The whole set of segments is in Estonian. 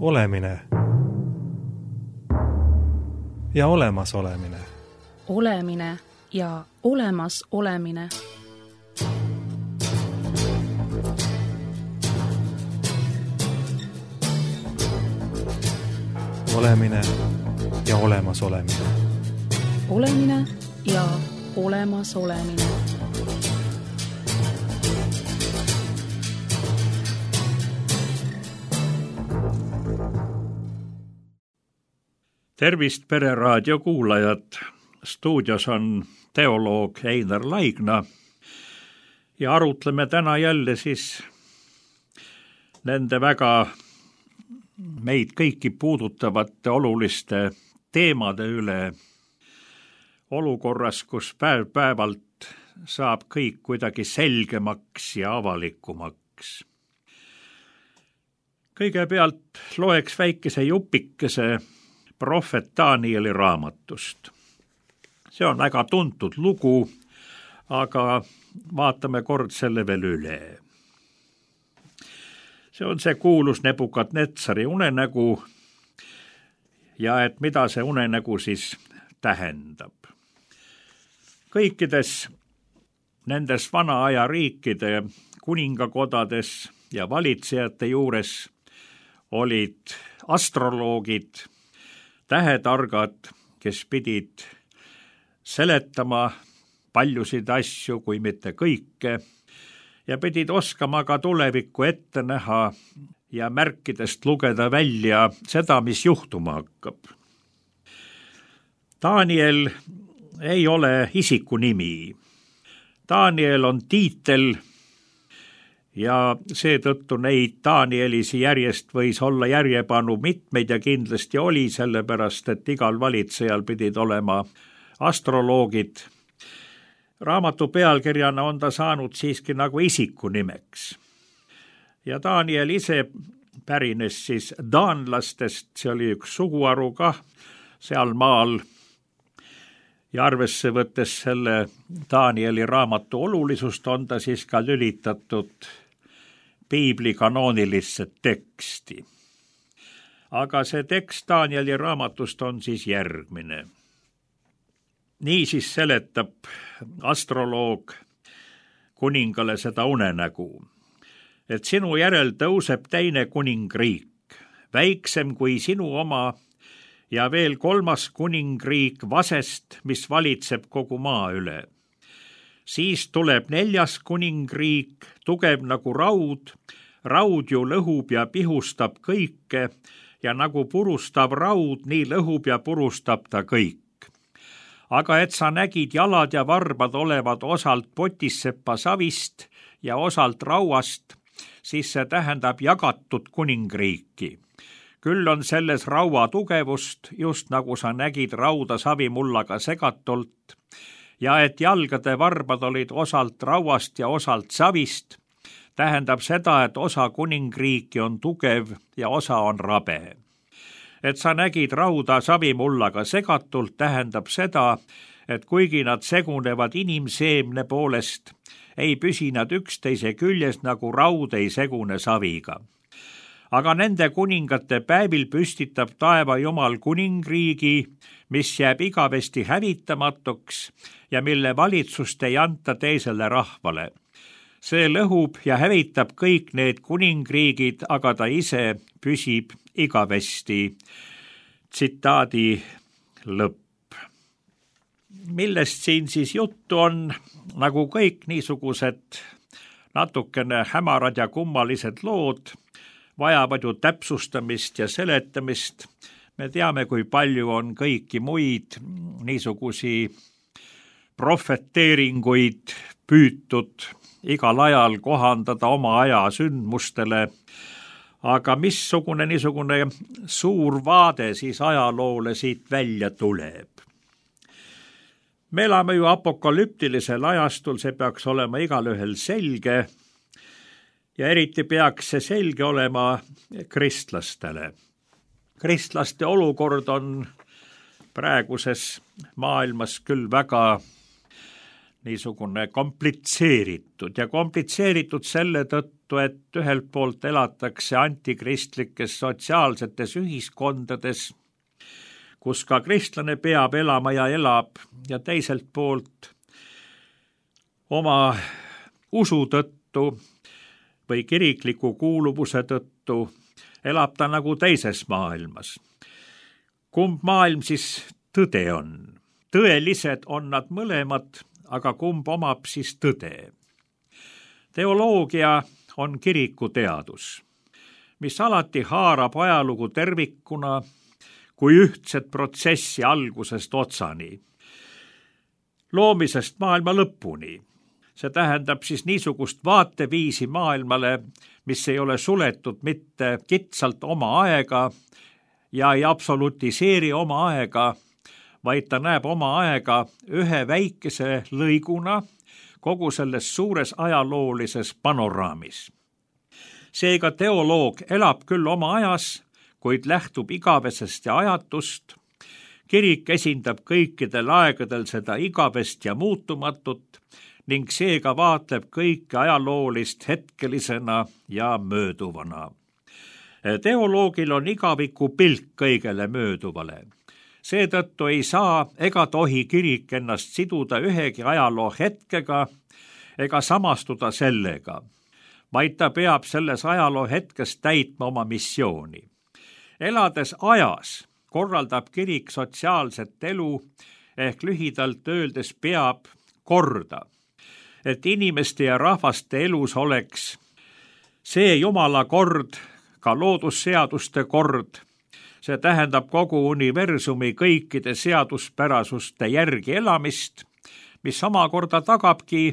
Olemine ja olemasolemine. Olemine ja olemas olemine. Olemine ja olemas olemine. Olemine ja olemas olemine. Tervist Pereraadio kuulajad! Stuudios on teoloog Einar Laigna ja arutleme täna jälle siis nende väga meid kõiki puudutavate oluliste teemade üle olukorras, kus päev-päevalt saab kõik kuidagi selgemaks ja avalikumaks. Kõigepealt loeks väikese jupikese prohvet Danieli raamatust. See on väga tuntud lugu, aga vaatame kord selle veel üle. See on see kuulus Nebukadnetsari unenägu ja et mida see unenägu siis tähendab. Kõikides nendes vana aja riikide kuningakodades ja valitsejate juures olid astroloogid, tähetargad, kes pidid seletama paljusid asju, kui mitte kõike, ja pidid oskama ka tulevikku ette näha ja märkidest lugeda välja seda, mis juhtuma hakkab. Daniel ei ole isikunimi. Daniel on tiitel ja seetõttu neid Danielisi järjest võis olla järjepanu mitmeid ja kindlasti oli, sellepärast et igal valitsejal pidid olema astroloogid. Raamatu pealkirjana on ta saanud siiski nagu isikunimeks. Ja Daniel ise pärines siis daanlastest, see oli üks suguharu kah seal maal. Ja arvesse võttes selle Danieli raamatu olulisust on ta siis ka lülitatud piibli kanoonilisse teksti. Aga see tekst Danieli raamatust on siis järgmine. Nii siis seletab astroloog kuningale seda unenägu, et sinu järel tõuseb teine kuningriik, väiksem kui sinu oma, ja veel kolmas kuningriik vasest, mis valitseb kogu maa üle. Siis tuleb neljas kuningriik, tugev nagu raud, raud ju lõhub ja pihustab kõike ja nagu purustab raud, nii lõhub ja purustab ta kõik. Aga et sa nägid jalad ja varbad olevat osalt potissepa savist ja osalt rauast, siis see tähendab jagatud kuningriiki. Küll on selles raua tugevust, just nagu sa nägid rauda savimullaga segatult, ja et jalgade varbad olid osalt rauast ja osalt savist, tähendab seda, et osa kuningriiki on tugev ja osa on rabe. Et sa nägid rauda savimullaga segatult, tähendab seda, et kuigi nad segunevad inimseemne poolest, ei püsi nad üksteise küljes nagu raud ei segune saviga. Aga nende kuningate päevil püstitab taeva Jumal kuningriigi, mis jääb igavesti hävitamatuks ja mille valitsust ei anta teisele rahvale. See lõhub ja hävitab kõik need kuningriigid, aga ta ise püsib igavesti. Tsitaadi lõpp. Millest siin siis juttu on, nagu kõik niisugused natukene hämarad ja kummalised lood, vajavad ju täpsustamist ja seletamist. Me teame, kui palju on kõiki muid niisugusi profeteeringuid püütud igal ajal kohandada oma aja sündmustele. Aga missugune niisugune suur vaade siis ajaloole siit välja tuleb? Me elame ju apokalüptilisel ajastul, see peaks olema igalühel selge ja eriti peaks see selge olema kristlastele. Kristlaste olukord on praeguses maailmas küll väga niisugune komplitseeritud ja komplitseeritud selle tõttu, et ühelt poolt elatakse antikristlikes sotsiaalsetes ühiskondades, kus ka kristlane peab elama ja elab, ja teiselt poolt oma usu tõttu või kirikliku kuuluvuse tõttu elab ta nagu teises maailmas. Kumb maailm siis tõde on? Tõelised on nad mõlemad, aga kumb omab siis tõde? Teoloogia on kirikuteadus, mis alati haarab ajalugu tervikuna kui ühtset protsessi algusest otsani, loomisest maailma lõpuni. See tähendab siis niisugust vaateviisi maailmale, mis ei ole suletud mitte kitsalt oma aega ja ei absolutiseeri oma aega, vaid ta näeb oma aega ühe väikese lõiguna kogu selles suures ajaloolises panoraamis. Seega teoloog elab küll oma ajas, kuid lähtub igavesest ja ajatust. Kirik esindab kõikidel aegadel seda igavest ja muutumatut ning seega vaatleb kõike ajaloolist hetkelisena ja mööduvana. Teoloogil on igaviku pilk kõigele mööduvale. Seetõttu ei saa ega tohi kirik ennast siduda ühegi ajaloo hetkega ega samastuda sellega, vaid ta peab selles ajaloo hetkes täitma oma missiooni. Elades ajas korraldab kirik sotsiaalset elu ehk lühidalt öeldes peab korda, et inimeste ja rahvaste elus oleks see Jumala kord, ka loodusseaduste kord, see tähendab kogu universumi kõikide seaduspärasuste järgi elamist, mis omakorda tagabki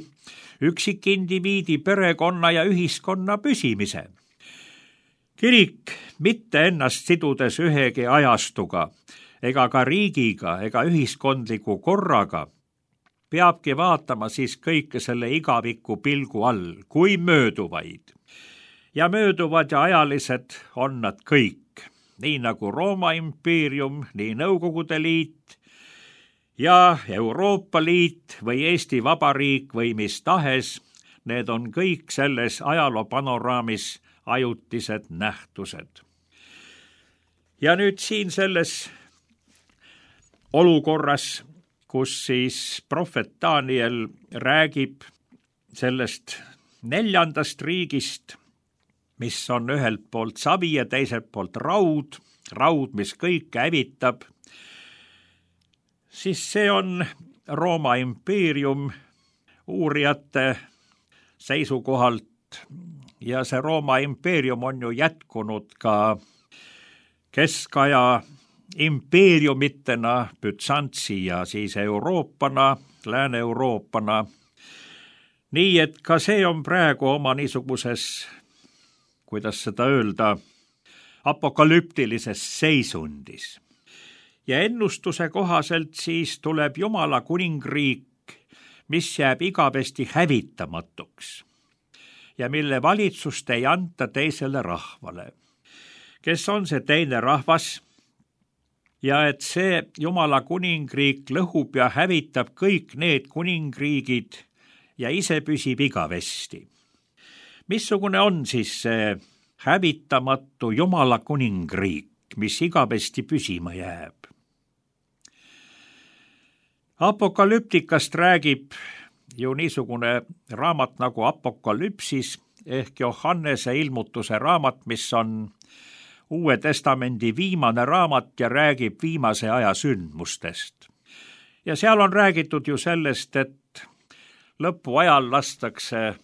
üksikindiviidi, perekonna ja ühiskonna püsimise. Kirik mitte ennast sidudes ühegi ajastuga ega ka riigiga ega ühiskondliku korraga peabki vaatama siis kõike selle igaviku pilgu all, kui mööduvaid. Ja mööduvad ja ajalised on nad kõik, nii nagu Rooma impeerium, nii Nõukogude Liit ja Euroopa Liit või Eesti Vabariik või mis tahes, need on kõik selles ajaloo panoraamis ajutised nähtused. Ja nüüd siin selles olukorras, kus siis prohvet Daniel räägib sellest 4. riigist, mis on ühelt poolt savi ja teiselt poolt raud, mis kõike hävitab, siis see on Rooma impeerium uurijate seisukohalt ja see Rooma impeerium on ju jätkunud ka keskaja impeeriumitena, Bütsantsi ja siis Euroopana, Lääne-Euroopana. Nii et ka see on praegu oma niisuguses, kuidas seda öelda, apokalüptilises seisundis. Ja ennustuse kohaselt siis tuleb Jumala kuningriik, mis jääb igavesti hävitamatuks ja mille valitsust ei anta teisele rahvale. Kes on see teine rahvas? Ja et see Jumala kuningriik lõhub ja hävitab kõik need kuningriigid ja ise püsib igavesti. Missugune on siis see hävitamatu Jumala kuningriik, mis igavesti püsima jääb? Apokalüptikast räägib ju niisugune raamat nagu Apokalüpsis ehk Johannese ilmutuse raamat, mis on Uue Testamendi viimane raamat ja räägib viimase aja sündmustest. Ja seal on räägitud ju sellest, et lõpuajal lastakse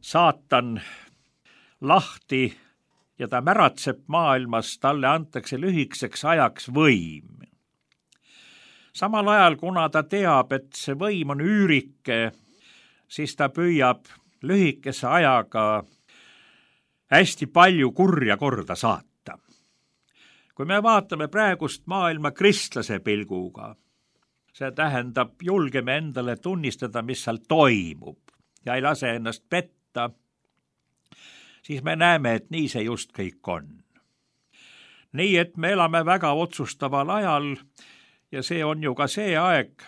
saatan lahti ja ta märatseb maailmas, talle antakse lühikeseks ajaks võim. Samal ajal, kuna ta teab, et see võim on üürike, siis ta püüab lühikese ajaga hästi palju kurja korda saata. Kui me vaatame praegust maailma kristlase pilguga, see tähendab, julgeme endale tunnistada, mis seal toimub ja ei lase ennast petta, siis me näeme, et nii see just kõik on. Nii et me elame väga otsustaval ajal ja see on ju ka see aeg,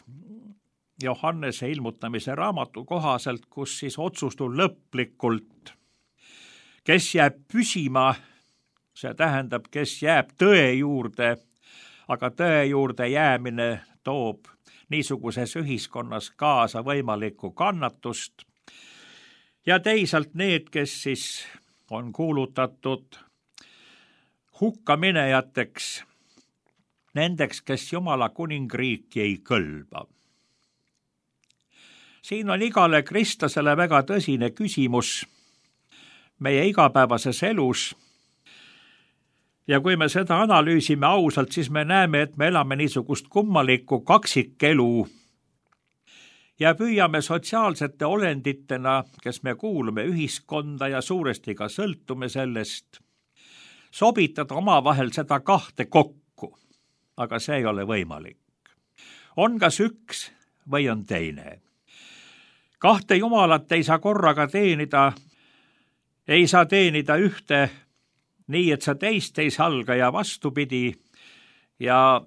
Johannese ilmutamise raamatu kohaselt, kus siis otsustab lõplikult, kes jääb püsima, see tähendab, kes jääb tõe juurde, aga tõe juurde jäämine toob niisuguses ühiskonnas kaasa võimalikku kannatust ja teisalt need, kes siis on kuulutatud hukkaminejateks, nendeks, kes Jumala kuningriiki ei kõlba. Siin on igale kristlasele väga tõsine küsimus meie igapäevases elus. Ja kui me seda analüüsime ausalt, siis me näeme, et me elame niisugust kummalikku kaksikelu ja püüame sotsiaalsete olenditena, kes me kuulume ühiskonda ja suuresti ka sõltume sellest, sobitada omavahel seda kahte kokku, aga see ei ole võimalik. On kas üks või on teine. Kahte jumalat ei saa korraga teenida, ei saa teenida ühte, nii et sa teist ei salga ja vastupidi ja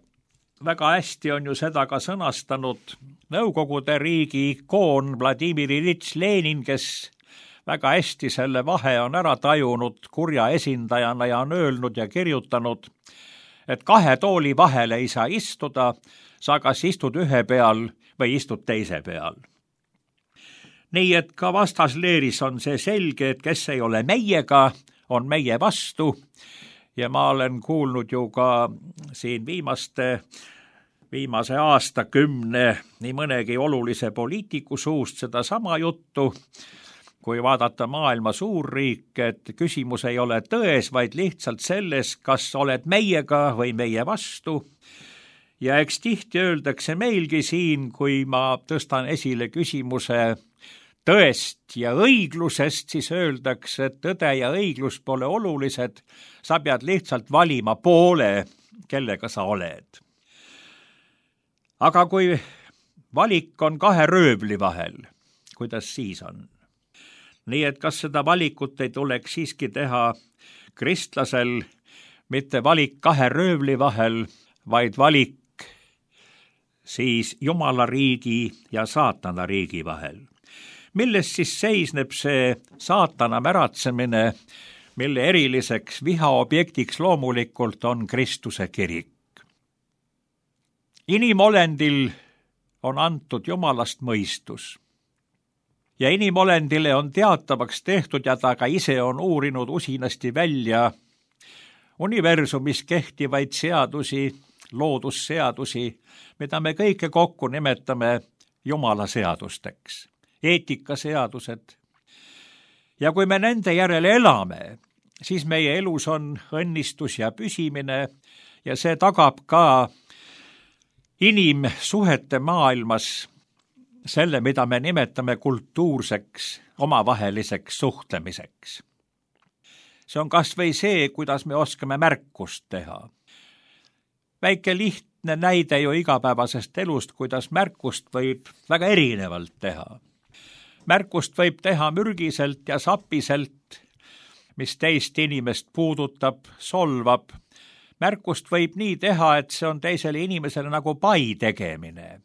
väga hästi on ju seda ka sõnastanud Nõukogude riigi ikoon Vladimir Iljitš Lenin, kes väga hästi selle vahe on ära tajunud kurja esindajana ja on öelnud ja kirjutanud, et kahe tooli vahele ei saa istuda, sa kas istud ühe peal või istud teise peal. Nii et ka vastasleeris on see selge, et kes ei ole meiega, on meie vastu ja ma olen kuulnud ju ka siin viimase aastakümne nii mõnegi olulise poliitiku suust seda sama juttu, kui vaadata maailma suurriike, et küsimus ei ole tões, vaid lihtsalt selles, kas oled meiega või meie vastu. Ja eks tihti öeldakse meilgi siin, kui ma tõstan esile küsimuse tõest ja õiglusest, siis öeldakse, et tõde ja õiglus pole olulised, sa pead lihtsalt valima poole, kellega sa oled. Aga kui valik on kahe röövli vahel, kuidas siis on? Nii et kas seda valikut ei tuleks siiski teha kristlasel, mitte valik kahe röövli vahel, vaid valik siis Jumala riigi ja saatana riigi vahel. Milles siis seisneb see saatana märatsemine, mille eriliseks vihaobjektiks loomulikult on Kristuse kirik. Inimolendil on antud Jumalast mõistus ja inimolendile on teatavaks tehtud ja ta ka ise on uurinud usinasti välja universumis kehtivaid seadusi, loodusseadusi, mida me kõike kokku nimetame Jumala seadusteks. Eetikaseadused. Ja kui me nende järele elame, siis meie elus on õnnistus ja püsimine ja see tagab ka inimsuhete maailmas selle, mida me nimetame kultuurseks, omavaheliseks suhtlemiseks. See on kas või see, kuidas me oskame märkust teha. Väike lihtne näide ju igapäevasest elust, kuidas märkust võib väga erinevalt teha. Märkust võib teha mürgiselt ja sapiselt, mis teist inimest puudutab, solvab. Märkust võib nii teha, et see on teisele inimesele nagu pai tegemine.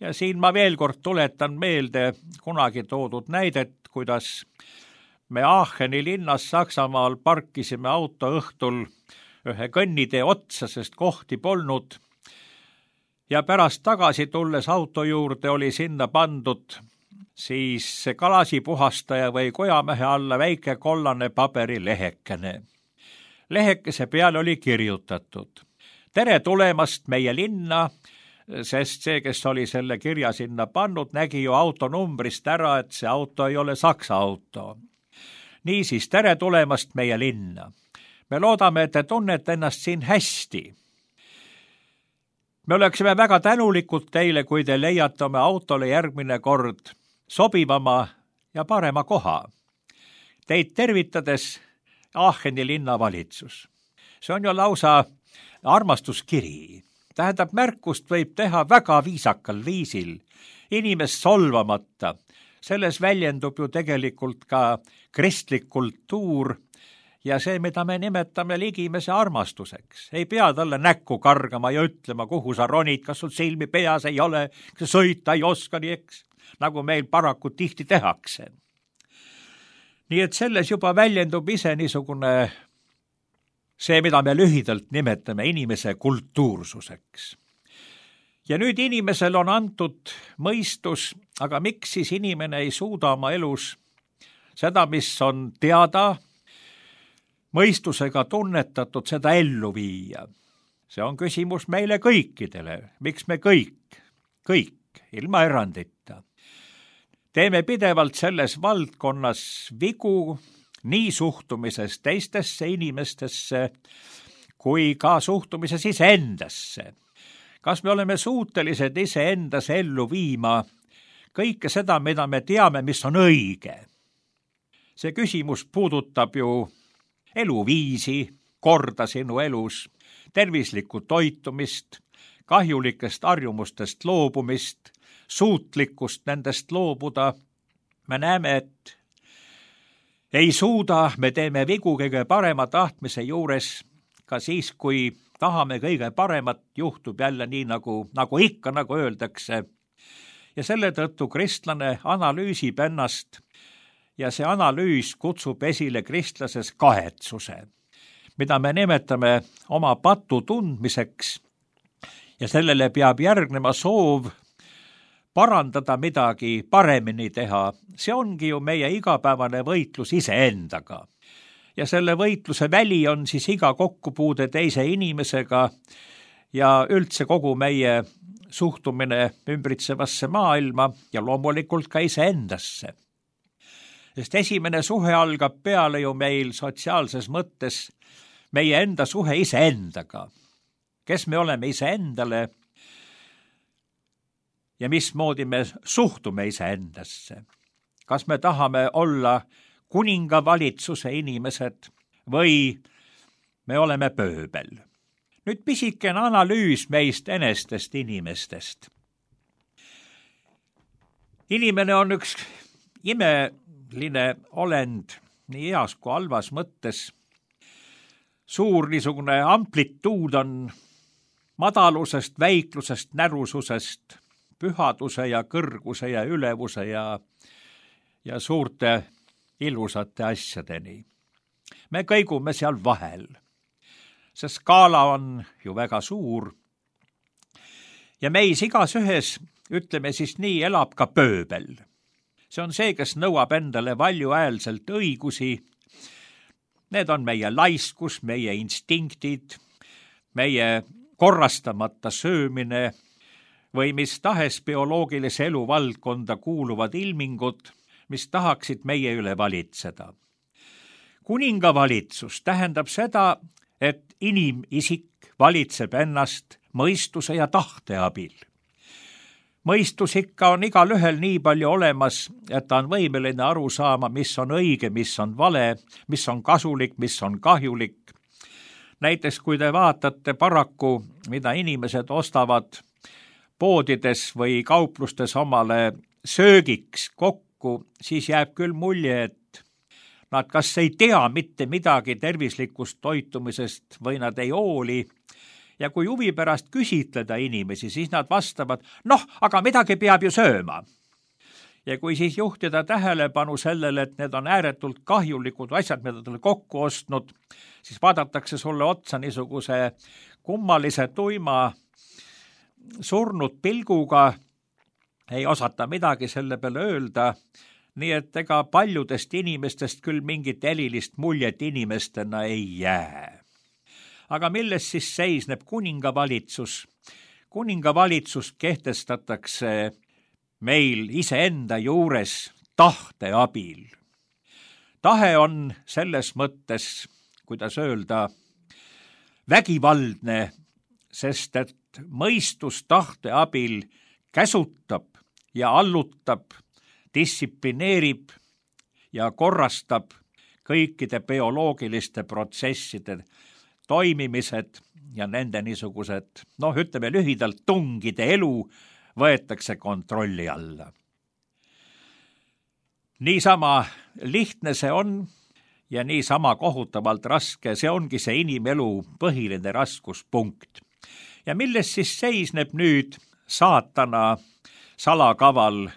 Ja siin ma veel kord tuletan meelde kunagi toodud näidet, kuidas me Aacheni linnas Saksamaal parkisime auto õhtul ühe kõnnitee otsa, sest kohti polnud. Ja pärast tagasi tulles auto juurde oli sinna pandud siis kalasipuhastaja või kojamehe alla väike kollane paberilehekene. Lehekese peale oli kirjutatud: tere tulemast meie linna, sest see, kes oli selle kirja sinna pannud, nägi ju autonumbrist ära, et see auto ei ole Saksa auto. Niisiis, tere tulemast meie linna. Me loodame, et te tunnete ennast siin hästi. Me oleksime väga tänulikud teile, kui te leiate oma autole järgmine kord sobivama ja parema koha. Teid tervitades Aacheni linnavalitsus. See on ju lausa armastuskiri. Tähendab, märkust võib teha väga viisakal viisil, inimest solvamata. Selles väljendub ju tegelikult ka kristlik kultuur ja see, mida me nimetame ligimese armastuseks. Ei pea talle näkku kargama ja ütlema, kuhu sa ronid, kas sul silmi peas ei ole, kas sa sõita ei oska, nii eks, nagu meil paraku tihti tehakse. Nii et selles juba väljendub ise niisugune see, mida me lühidalt nimetame inimese kultuursuseks. Ja nüüd inimesel on antud mõistus, aga miks siis inimene ei suuda oma elus seda, mis on teada, mõistusega tunnetatud, seda ellu viia? See on küsimus meile kõikidele. Miks me kõik, ilma erandita, teeme pidevalt selles valdkonnas vigu, nii suhtumises teistesse inimestesse kui ka suhtumises iseendasse. Kas me oleme suutelised iseendas ellu viima kõike seda, mida me teame, mis on õige? See küsimus puudutab ju eluviisi, korda sinu elus, tervislikku toitumist, kahjulikest harjumustest loobumist, suutlikkust nendest loobuda. Me näeme, et ei suuda, me teeme vigu kõige parema tahtmise juures, ka siis, kui tahame kõige paremat, juhtub jälle nii, nagu ikka, nagu öeldakse. Ja selle tõttu kristlane analüüsib ennast ja see analüüs kutsub esile kristlases kahetsuse, mida me nimetame oma patu tundmiseks, ja sellele peab järgnema soov parandada midagi, paremini teha. See ongi ju meie igapäevane võitlus iseendaga. Ja selle võitluse väli on siis iga kokkupuude teise inimesega ja üldse kogu meie suhtumine ümbritsevasse maailma ja loomulikult ka iseendasse. Sest esimene suhe algab peale ju meil sotsiaalses mõttes meie enda suhe iseendaga. Kes me oleme iseendale ja mismoodi me suhtume iseendasse? Kas me tahame olla kuningavalitsuse inimesed või me oleme pööbel? Nüüd pisikene analüüs meist enestest inimestest. Inimene on üks imeline olend nii heas kui halvas mõttes. Suur niisugune amplituud on madalusest, väiklusest, närususest, pühaduse ja kõrguse ja ülevuse ja suurte ilusate asjadeni. Me kõigume seal vahel. See skaala on ju väga suur. Ja meis igas ühes, ütleme siis nii, elab ka pööbel. See on see, kes nõuab endale valjuhäälselt õigusi. Need on meie laiskus, meie instinktid, meie korrastamata söömine või mis tahes bioloogilise elu valdkonda kuuluvad ilmingud, mis tahaksid meie üle valitseda. Kuningavalitsus tähendab seda, et inimisik valitseb ennast mõistuse ja tahte abil. Mõistus ikka on igal ühel nii palju olemas, et ta on võimeline aru saama, mis on õige, mis on vale, mis on kasulik, mis on kahjulik. Näiteks kui te vaatate paraku, mida inimesed ostavad poodides või kauplustes omale söögiks kokku, siis jääb küll mulje, et nad kas ei tea mitte midagi tervislikust toitumisest või nad ei hooli. Ja kui huvi pärast küsitleda inimesi, siis nad vastavad, aga midagi peab ju sööma. Ja kui siis juhtida tähelepanu sellele, et need on ääretult kahjulikud asjad, mida ta kokku ostnud, siis vaadatakse sulle otsa niisuguse kummalise tuima surnud pilguga, ei osata midagi selle peale öelda, nii et ega paljudest inimestest küll mingit erilist muljet inimestena ei jää. Aga milles siis seisneb kuningavalitsus? Kuningavalitsus kehtestatakse meil iseenda juures tahte abil. Tahe on selles mõttes, kuidas öelda, vägivaldne, sest et mõistus tahte abil käsutab ja allutab, distsiplineerib ja korrastab kõikide bioloogiliste protsesside toimimised ja nende niisugused, ütleme lühidalt, tungide elu võetakse kontrolli alla. Niisama lihtne see on ja niisama kohutavalt raske, see ongi see inimelu põhiline raskuspunkt. Ja milles siis seisneb nüüd saatana salakaval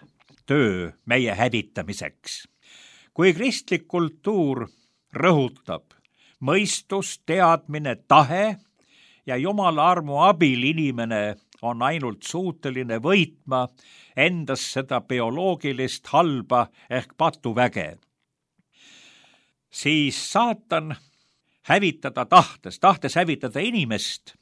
töö meie hävitamiseks? Kui kristlik kultuur rõhutab mõistus, teadmine, tahe ja Jumala armu abil inimene on ainult suuteline võitma endas seda bioloogilist halba ehk patuväge, siis saatan hävitada tahtes hävitada inimest,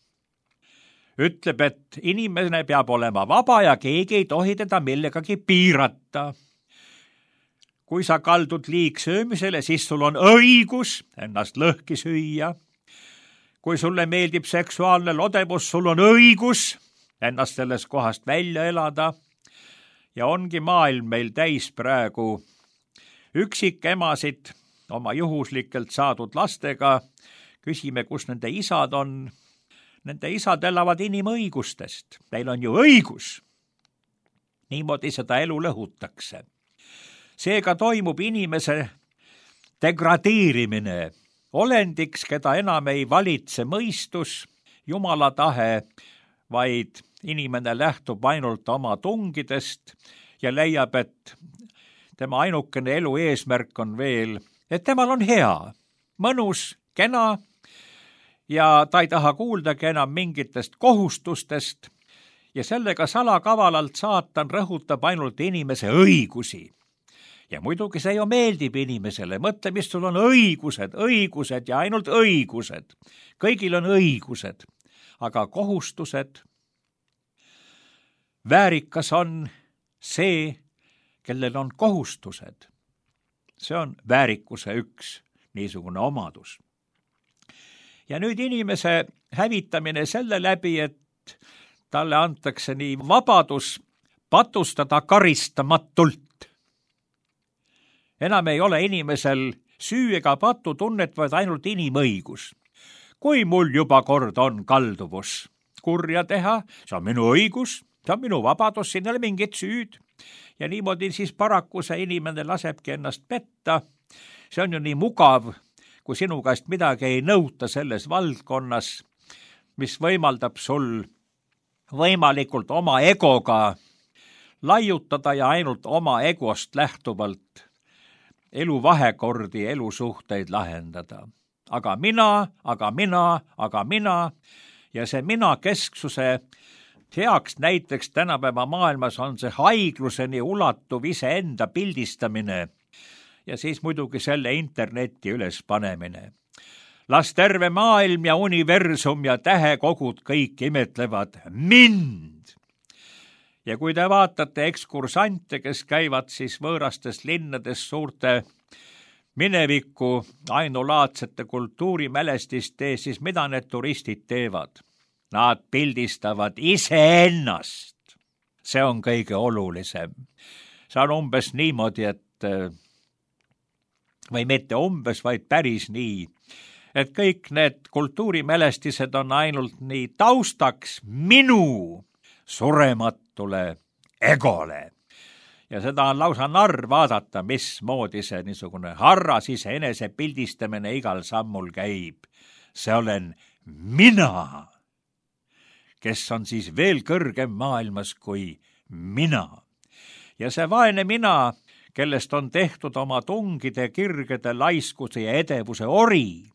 ütleb, et inimene peab olema vaba ja keegi ei tohi teda millegagi piirata. Kui sa kaldud liigsöömisele, siis sul on õigus ennast lõhki süüa. Kui sulle meeldib seksuaalne lodevus, sul on õigus ennast sellest kohast välja elada. Ja ongi maailm meil täis praegu üksikemasid oma juhuslikelt saadud lastega. Küsime, kus nende isad on. Nende isad elavad inimõigustest. Neil on ju õigus. Niimoodi seda elu lõhutakse. Seega toimub inimese degradeerimine olendiks, keda enam ei valitse mõistus, Jumala tahe, vaid inimene lähtub ainult oma tungidest ja leiab, et tema ainukene elu eesmärk on veel, et temal on hea, mõnus, kena ja ta ei taha kuuldagi enam mingitest kohustustest ja sellega salakavalalt saatan rõhutab ainult inimese õigusi. Ja muidugi see ju meeldib inimesele. Mõtle, mis sul on õigused ja ainult õigused. Kõigil on õigused, aga kohustused. Väärikas on see, kellel on kohustused. See on väärikuse üks niisugune omadus. Ja nüüd inimese hävitamine selle läbi, et talle antakse nii vabadus patustada karistamatult. Enam ei ole inimesel süü ega patutunnet, vaid ainult inimõigus. Kui mul juba kord on kalduvus kurja teha, see on minu õigus, see on minu vabadus, siin ei ole mingit süüd. Ja niimoodi siis paraku see inimene lasebki ennast petta. See on ju nii mugav, kui sinu käest midagi ei nõuta selles valdkonnas, mis võimaldab sul võimalikult oma egoga laiutada ja ainult oma egost lähtuvalt elu vahekordi, elusuhteid lahendada. Aga mina ja see mina kesksuse heaks näiteks tänapäeva maailmas on see haigluseni ulatuv iseenda pildistamine ja siis muidugi selle interneti üles panemine. Las terve maailm ja universum ja tähekogud kõik imetlevad mind. Ja kui te vaatate ekskursante, kes käivad siis võõrastes linnades suurte mineviku ainulaadsete kultuurimälestiste, siis mida need turistid teevad? Nad pildistavad iseennast. See on kõige olulisem. See on umbes niimoodi, et või mitte umbes, vaid päris nii, et kõik need kultuurimälestised on ainult nii taustaks minu surematule egole. Ja seda on lausa narr vaadata, mismoodi see niisugune harras iseenese pildistamine igal sammul käib. See olen mina, kes on siis veel kõrgem maailmas kui mina. Ja see vaene mina, kellest on tehtud oma tungide, kirgede, laiskuse ja edevuse ori,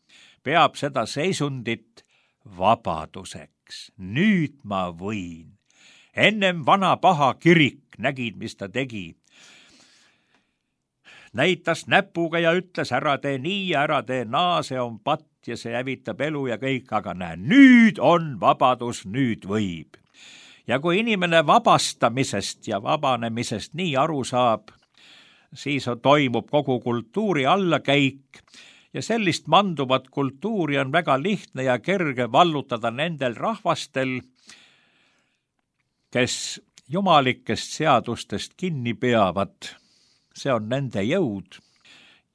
peab seda seisundit vabaduseks. Nüüd ma võin. Ennem vana paha kirik nägid, mis ta tegi. Näitas näpuga ja ütles, ära tee nii ja ära tee naa, see on patt ja see hävitab elu ja kõik, aga näe, nüüd on vabadus, nüüd võib. Ja kui inimene vabastamisest ja vabanemisest nii aru saab, siis toimub kogu kultuuri allakäik ja sellist manduvat kultuuri on väga lihtne ja kerge vallutada nendel rahvastel, kes jumalikest seadustest kinni peavad. See on nende jõud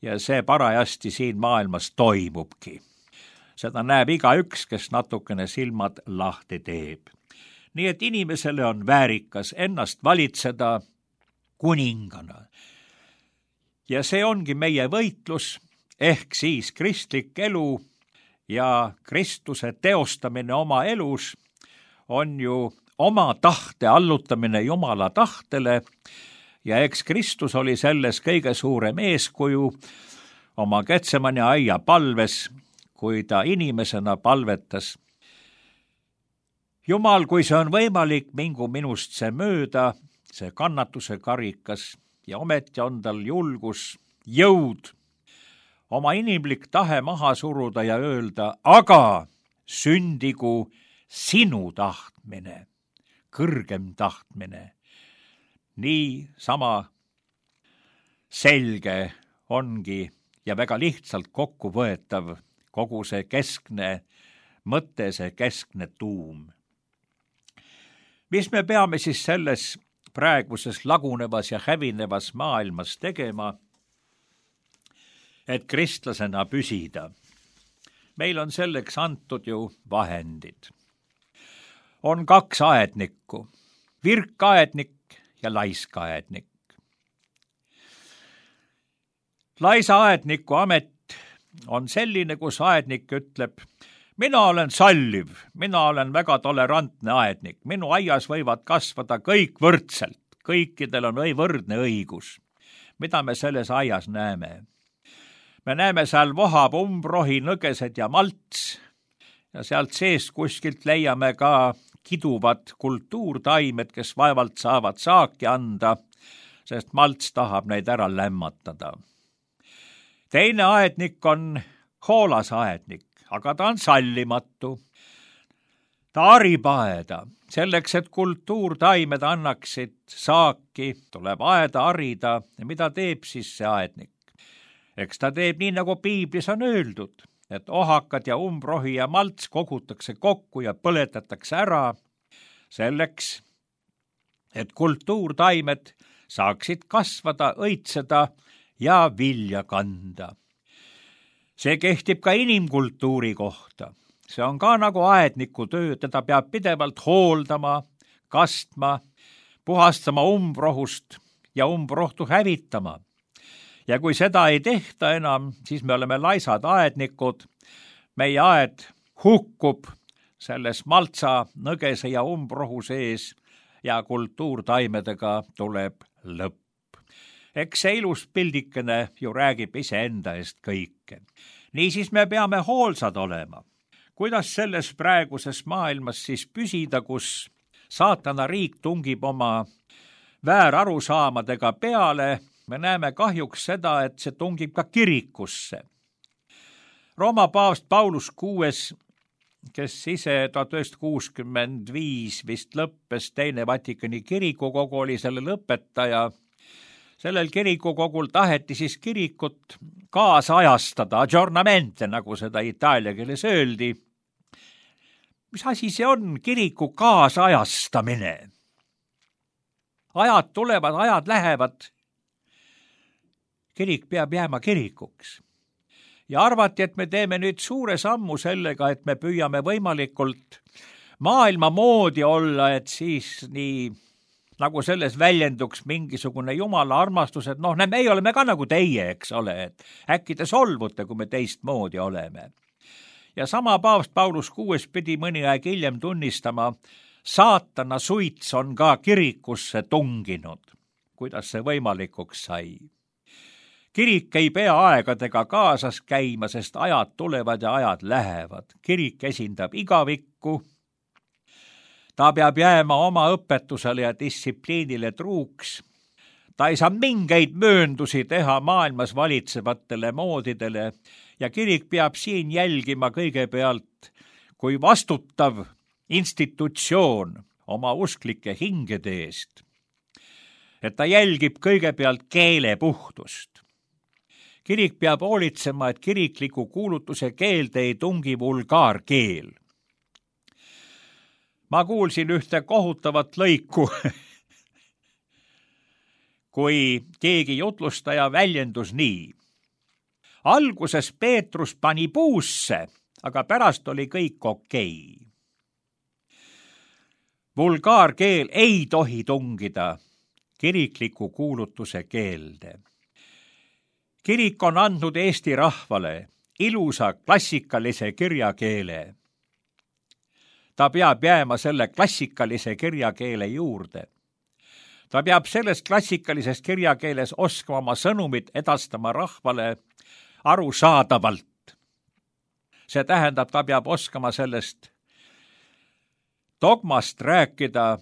ja see parajasti siin maailmas toimubki. Seda näeb igaüks, kes natukene silmad lahti teeb. Nii et inimesele on väärikas ennast valitseda kuningana. Ja see ongi meie võitlus, ehk siis kristlik elu ja Kristuse teostamine oma elus on ju oma tahte allutamine Jumala tahtele ja eks Kristus oli selles kõige suurem eeskuju oma Getsemani aia palves, kui ta inimesena palvetas. Jumal, kui see on võimalik, mingu minust see mööda, see kannatuse karikas ja ometi on tal julgus, jõud, oma inimlik tahe maha suruda ja öelda, aga sündigu sinu tahtmine, kõrgem tahtmine. Nii sama selge ongi ja väga lihtsalt kokkuvõetav kogu see keskne mõte, see keskne tuum. Mis me peame siis selles praeguses lagunevas ja hävinevas maailmas tegema, et kristlasena püsida? Meil on selleks antud ju vahendid. On 2 aednikku, virkaednik ja laiskaednik. Laisa aedniku amet on selline, kus aednik ütleb, mina olen salliv, mina olen väga tolerantne aednik, minu aias võivad kasvada kõik võrdselt, kõikidel on võrdne õigus. Mida me selles aias näeme? Me näeme, seal vohab umbrohi, nõgesed ja malts ja sealt seest kuskilt leiame ka kiduvad kultuurtaimed, kes vaevalt saavad saaki anda, sest malts tahab neid ära lämmatada. Teine aednik on hoolas aednik, aga ta on sallimatu. Ta harib aeda. Selleks, et kultuurtaimed annaksid saaki, tuleb aeda harida. Ja mida teeb siis see aednik? Eks ta teeb nii, nagu piiblis on öeldud, et ohakad ja umbrohi ja malts kogutakse kokku ja põletatakse ära selleks, et kultuurtaimed saaksid kasvada, õitseda ja vilja kanda. See kehtib ka inimkultuuri kohta. See on ka nagu aedniku töö, teda peab pidevalt hooldama, kastma, puhastama umbrohust ja umbrohtu hävitama. Ja kui seda ei tehta enam, siis me oleme laisad aednikud. Meie aed hukkub selles maltsa, nõgese ja umbrohu sees ja kultuurtaimedega tuleb lõpp. Eks see ilus pildikene ju räägib iseenda eest kõike. Niisiis me peame hoolsad olema. Kuidas selles praeguses maailmas siis püsida, kus saatana riik tungib oma väärarusaamadega peale? Me näeme kahjuks seda, et see tungib ka kirikusse. Rooma paavst Paulus VI, kes ise 1965 vist lõppes, teine Vatikani kirikukogu oli selle lõpetaja. Sellel kirikukogul taheti siis kirikut kaasajastada, aggiornamente, nagu seda itaalia keeles öeldi. Mis asi see on, kiriku kaasajastamine? Ajad tulevad, ajad lähevad. Kirik peab jääma kirikuks. Ja arvati, et me teeme nüüd suure sammu sellega, et me püüame võimalikult maailma moodi olla, et siis nii nagu selles väljenduks mingisugune jumala armastus, et me oleme ka nagu teie, eks ole, et äkki te solvute, kui me teistmoodi oleme. Ja sama paavst Paulus VI pidi mõni aeg hiljem tunnistama, saatana suits on ka kirikusse tunginud. Kuidas see võimalikuks sai? Kirik ei pea aegadega kaasas käima, sest ajad tulevad ja ajad lähevad. Kirik esindab igavikku. Ta peab jääma oma õpetusele ja distsipliinile truuks. Ta ei saa mingeid mööndusi teha maailmas valitsevatele moodidele ja kirik peab siin jälgima kõigepealt kui vastutav institutsioon oma usklike hingede eest. Et ta jälgib kõigepealt keele puhtust. Kirik peab hoolitsema, et kirikliku kuulutuse keelde ei tungi vulgaarkeel. Ma kuulsin ühte kohutavat lõiku, kui keegi jutlustaja väljendus nii. Alguses Peetrus pani puusse, aga pärast oli kõik okei. Vulgaarkeel ei tohi tungida kirikliku kuulutuse keelde. kirik on andnud Eesti rahvale ilusa klassikalise kirjakeele. Ta peab jääma selle klassikalise kirjakeele juurde. Ta peab selles klassikalises kirjakeeles oskama oma sõnumit edastama rahvale arusaadavalt. See tähendab, ta peab oskama sellest dogmast rääkida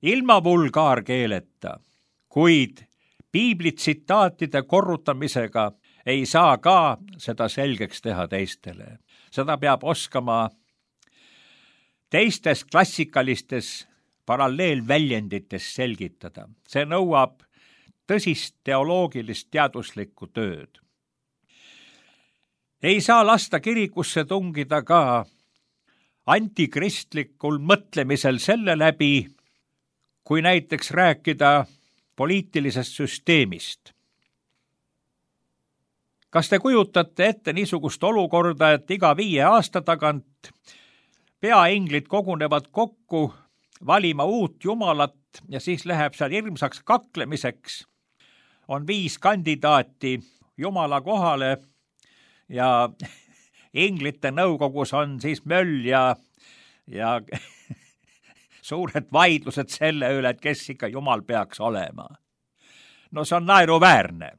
ilma vulgaarkeeleta, kuid piibli tsitaatide korrutamisega ei saa ka seda selgeks teha teistele. Seda peab oskama teistes klassikalistes paralleelväljendites selgitada. See nõuab tõsist teoloogilist teaduslikku tööd. Ei saa lasta kirikusse tungida ka antikristlikul mõtlemisel selle läbi, kui näiteks rääkida poliitilisest süsteemist. Kas te kujutate ette niisugust olukorda, et iga 5 aasta tagant peainglid kogunevad kokku valima uut jumalat ja siis läheb seal hirmsaks kaklemiseks? On 5 kandidaati jumala kohale ja inglite nõukogus on siis möll ja suured vaidlused selle üle, et kes ikka jumal peaks olema. No see on naeruväärne.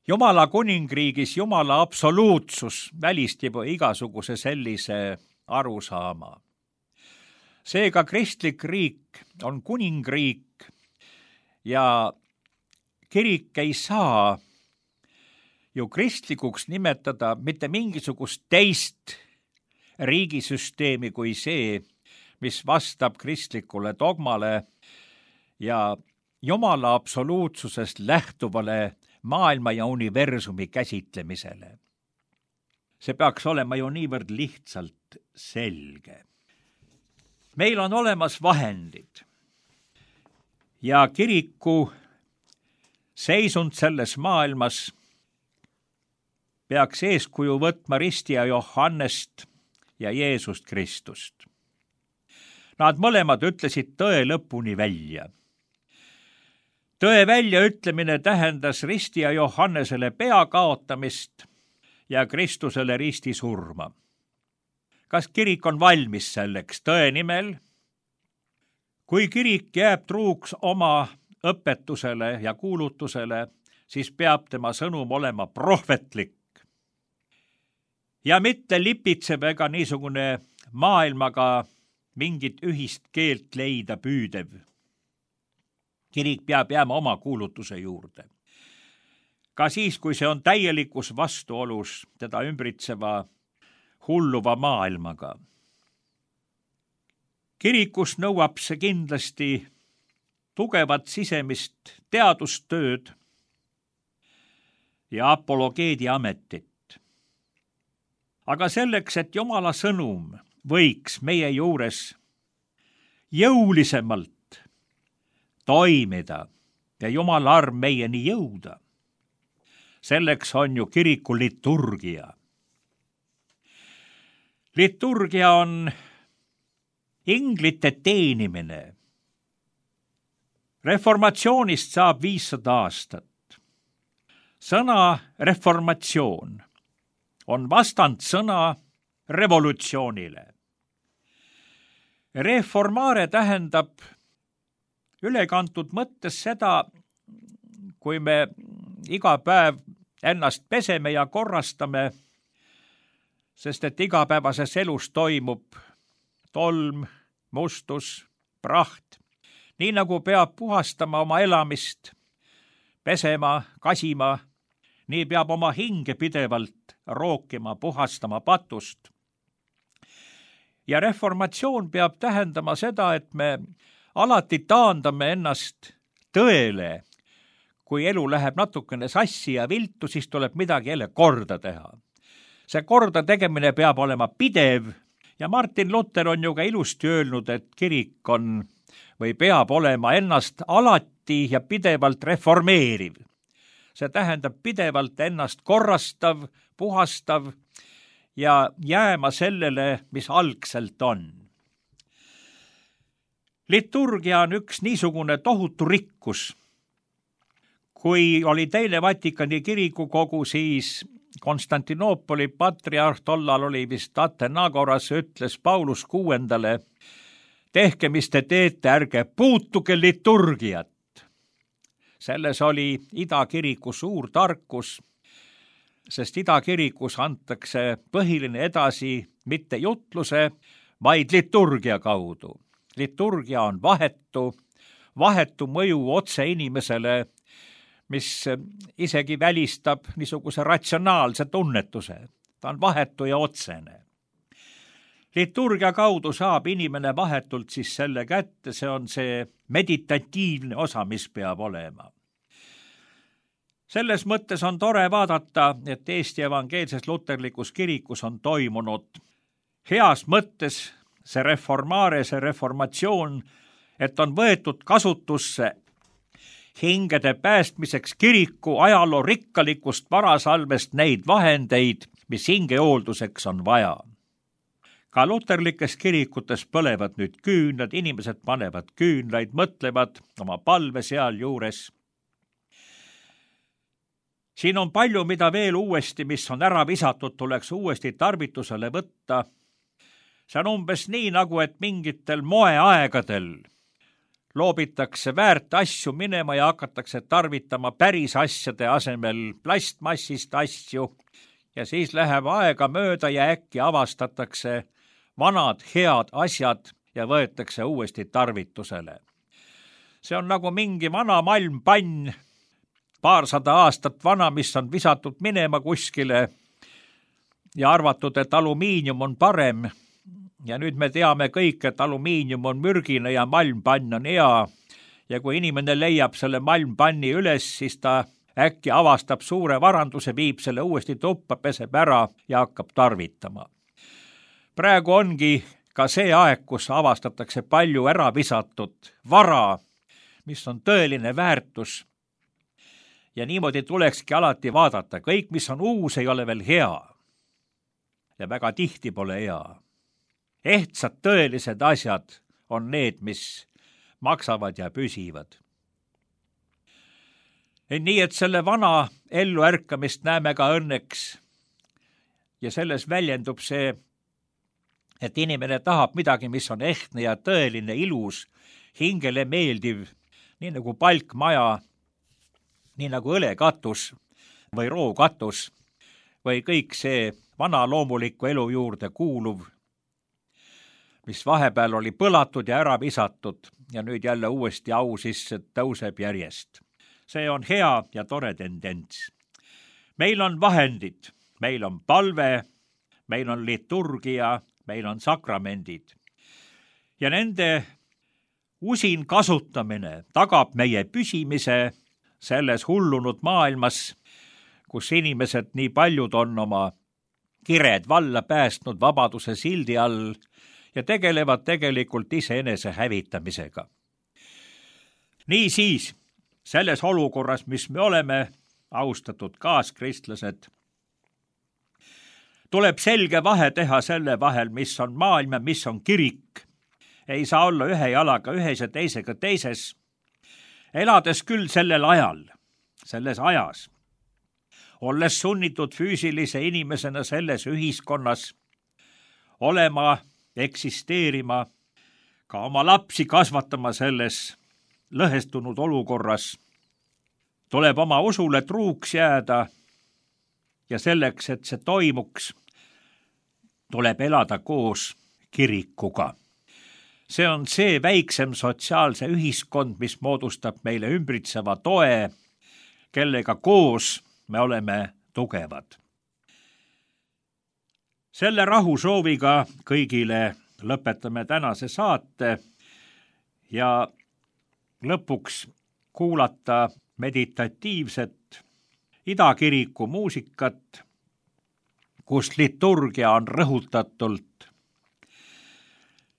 Jumala kuningriigis Jumala absoluutsus välistab igasuguse sellise arusaama. Seega kristlik riik on kuningriik ja kirik ei saa ju kristlikuks nimetada mitte mingisugust teist riigisüsteemi kui see, mis vastab kristlikule dogmale ja Jumala absoluutsusest lähtuvale maailma ja universumi käsitlemisele. See peaks olema ju niivõrd lihtsalt selge. Meil on olemas vahendid ja kiriku seisund selles maailmas peaks eeskuju võtma ristija Johannest ja Jeesust Kristust. Nad mõlemad ütlesid tõe lõpuni välja. Tõe väljaütlemine tähendas ristija Johannesele pea kaotamist ja Kristusele ristisurma. Kas kirik on valmis selleks tõe nimel? Kui kirik jääb truuks oma õpetusele ja kuulutusele, siis peab tema sõnum olema prohvetlik ja mitte lipitsev ega niisugune maailmaga mingit ühist keelt leida püüdev. Kirik peab jääma oma kuulutuse juurde. Ka siis, kui see on täielikus vastuolus teda ümbritseva hulluva maailmaga. Kirikus nõuab see kindlasti tugevat sisemist teadustööd ja apologeedi ametit. Aga selleks, et Jumala sõnum võiks meie juures jõulisemalt toimida ja Jumala arm meieni jõuda, selleks on ju kiriku liturgia. Liturgia on inglite teenimine. Reformatsioonist saab 500 aastat. Sõna reformatsioon on vastand sõna revolutsioonile. Reformare tähendab ülekantud mõttes seda, kui me iga päev ennast peseme ja korrastame, sest et igapäevases elus toimub tolm, mustus, praht. Nii nagu peab puhastama oma elamist, pesema, kasima, nii peab oma hinge pidevalt rookima, puhastama patust. Ja reformatsioon peab tähendama seda, et me alati taandame ennast tõele. Kui elu läheb natukene sassi ja viltu, siis tuleb midagi jälle korda teha. See korda tegemine peab olema pidev ja Martin Luther on ju ka ilusti öelnud, et kirik on või peab olema ennast alati ja pidevalt reformeeriv. See tähendab pidevalt ennast korrastav, puhastav ja jääma sellele, mis algselt on. Liturgia on üks niisugune tohutu rikkus, Kui oli teine Vatikani kirikukogu, siis Konstantinoopoli patriarh, tollal oli vist Athenagoras, ütles Paulus VI, tehke, mis te teete, ärge puutuge liturgiat. Selles oli idakiriku suur tarkus, sest idakirikus antakse põhiline edasi mitte jutluse, vaid liturgia kaudu. Liturgia on vahetu mõju otse inimesele, mis isegi välistab niisuguse ratsionaalse tunnetuse. Ta on vahetu ja otsene. Liturgia kaudu saab inimene vahetult siis selle kätte, see on see meditatiivne osa, mis peab olema. Selles mõttes on tore vaadata, et Eesti Evangeelses Luterlikus kirikus on toimunud heas mõttes see reformatsioon, et on võetud kasutusse hingede päästmiseks kiriku ajaloo rikkalikust varasalvest neid vahendeid, mis hingehoolduseks on vaja. Ka luterlikes kirikutes põlevad nüüd küünlad, inimesed panevad küünlaid, mõtlevad oma palve sealjuures. Siin on palju, mida veel uuesti, mis on ära visatud, tuleks uuesti tarvitusele võtta. See on umbes nii, nagu et mingitel moeaegadel loobitakse väärt asju minema ja hakatakse tarvitama päris asjade asemel plastmassist asju ja siis läheb aega mööda ja äkki avastatakse vanad head asjad ja võetakse uuesti tarvitusele. See on nagu mingi vana malmpann, paarsada aastat vana, mis on visatud minema kuskile ja arvatud, et alumiinium on parem. Ja nüüd me teame kõik, et alumiinium on mürgine ja malmpann on hea. Ja kui inimene leiab selle malmpanni üles, siis ta äkki avastab suure varanduse, viib selle uuesti tuppa, peseb ära ja hakkab tarvitama. Praegu ongi ka see aeg, kus avastatakse palju ära visatud vara, mis on tõeline väärtus. Ja niimoodi tulekski alati vaadata. Kõik, mis on uus, ei ole veel hea. Ja väga tihti pole hea. Ehtsad tõelised asjad on need, mis maksavad ja püsivad. Nii et selle vana elluärkamist näeme ka õnneks ja selles väljendub see, et inimene tahab midagi, mis on ehtne ja tõeline, ilus, hingele meeldiv, nii nagu palkmaja, nii nagu õlekatus või rookatus või kõik see vana loomuliku elu juurde kuuluv, mis vahepeal oli põlatud ja ära visatud ja nüüd jälle uuesti au sisse tõuseb järjest. See on hea ja tore tendents. Meil on vahendid, meil on palve, meil on liturgia, meil on sakramendid. Ja nende usin kasutamine tagab meie püsimise selles hullunud maailmas, kus inimesed nii paljud on oma kired valla päästnud vabaduse sildi all ja tegelevad tegelikult iseenese hävitamisega. Niisiis, selles olukorras, mis me oleme, austatud kaaskristlased, tuleb selge vahe teha selle vahel, mis on maailm ja mis on kirik. Ei saa olla ühe jalaga ühes ja teisega teises. Elades küll sellel ajal, selles ajas, olles sunnitud füüsilise inimesena selles ühiskonnas olema, eksisteerima, ka oma lapsi kasvatama selles lõhestunud olukorras, tuleb oma usule truuks jääda ja selleks, et see toimuks, tuleb elada koos kirikuga. See on see väiksem sotsiaalse ühiskond, mis moodustab meile ümbritseva toe, kellega koos me oleme tugevad. Selle rahusooviga kõigile lõpetame tänase saate ja lõpuks kuulata meditatiivset idakiriku muusikat, kus liturgia on rõhutatult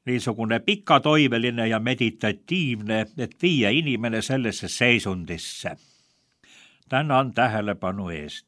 niisugune pikatoiveline ja meditatiivne, et viia inimene sellesse seisundisse. Tänan tähelepanu eest.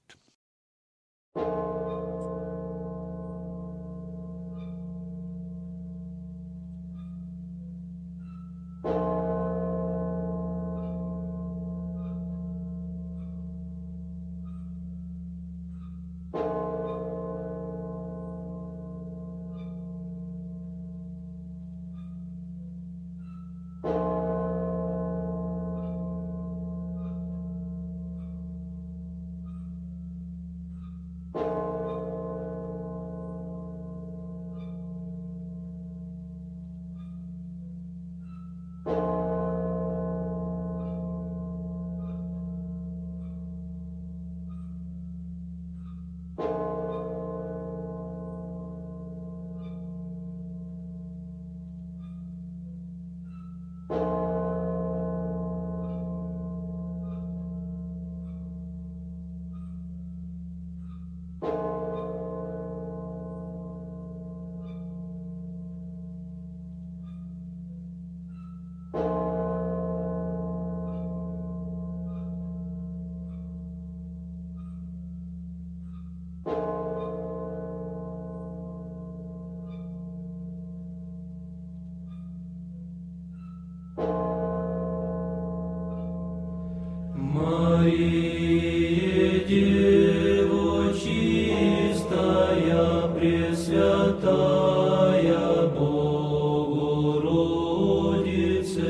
Пресвятая Богородице,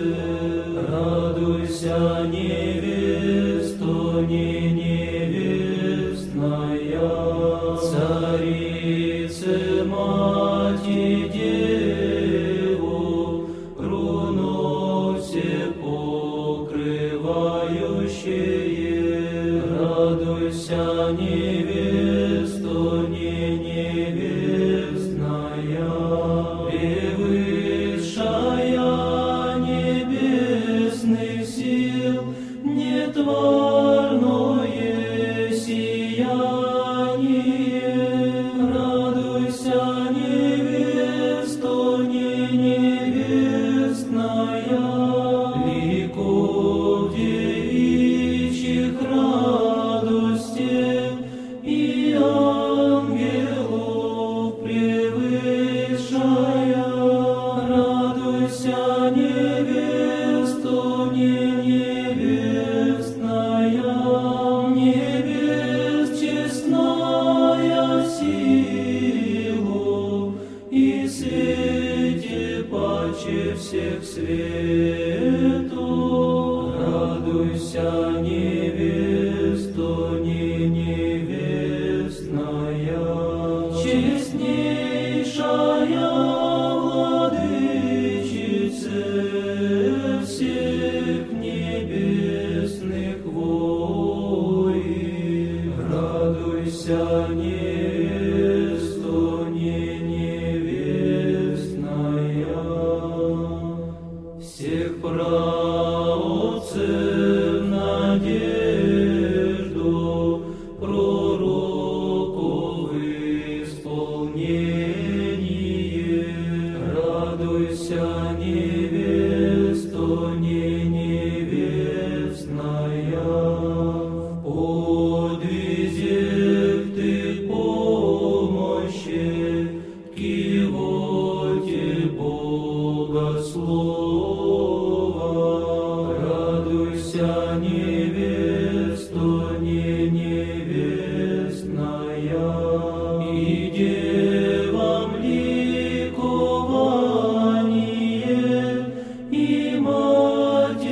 радуйся, невесто не невестная, царице мати деву, руносе покрывающее, радуйся, невесто не невестная, превысшая небесных сил, нетварное сияние, радуйся, невесто не невестная, ликов девичьих радостей и ангелов превышая, радуйся, невесто не невестная, небес честная силу и свете паче всех свету, радуйся, невесто не невестная, честнейшая владычице всех небесных воин, радуйся, невесто не невестная, всех праотцев надежду, пророков исполнение, радуйся, невесто не невестная, в подвизях ты помощи, кивоте богослова, радуйся, невесто не невестная, и девам ликование, и матерям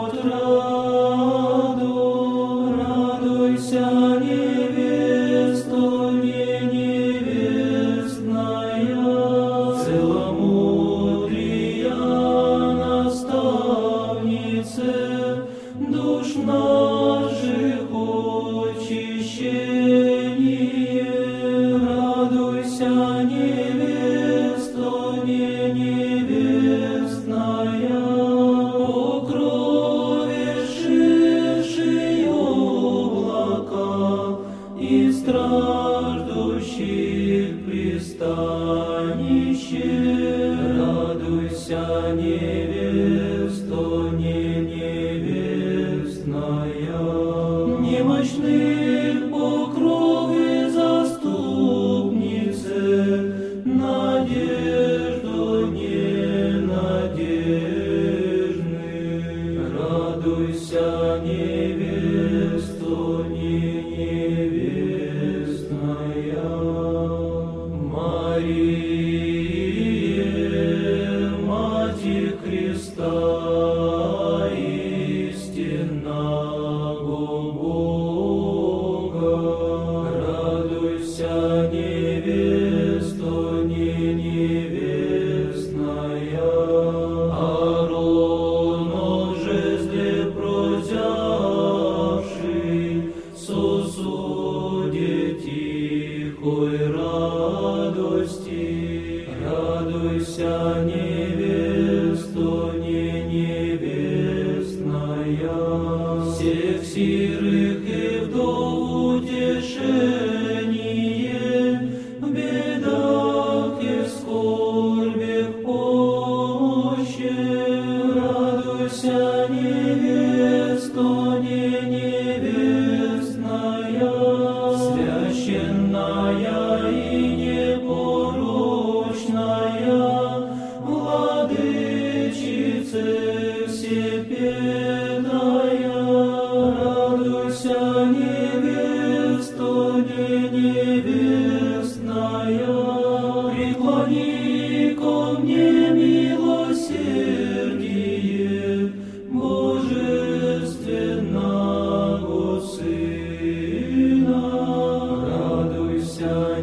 отраду, радуйся, невесто не невестная, целомудрия наставнице, душ наших очищение, радуйся, невесто не невестная, покровившие облака и страждущих пристанище, радуйся, невесто не невестная, немощных покровы заступнице, надежду ненадежных, радуйся, невесто не невестная, Мария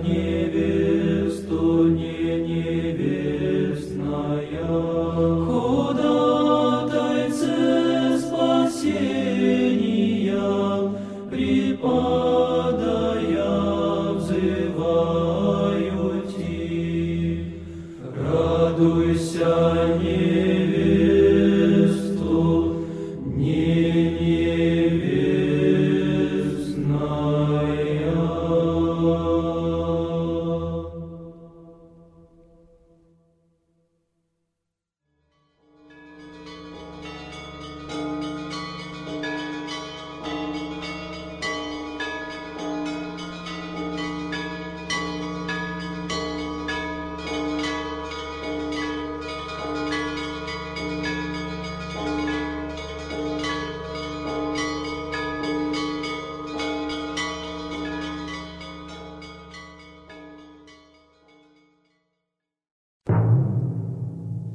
невесту не невестная, ходатайце спасения, припадая взываю ти. Радуйся, невесту не невестная.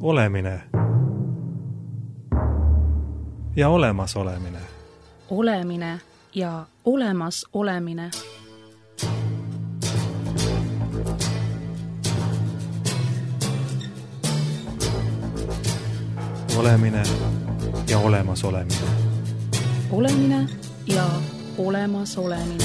Olemine ja olemasolemine. Olemine ja olemas olemine. Olemine ja olemas olemine. Olemine ja olemas olemine.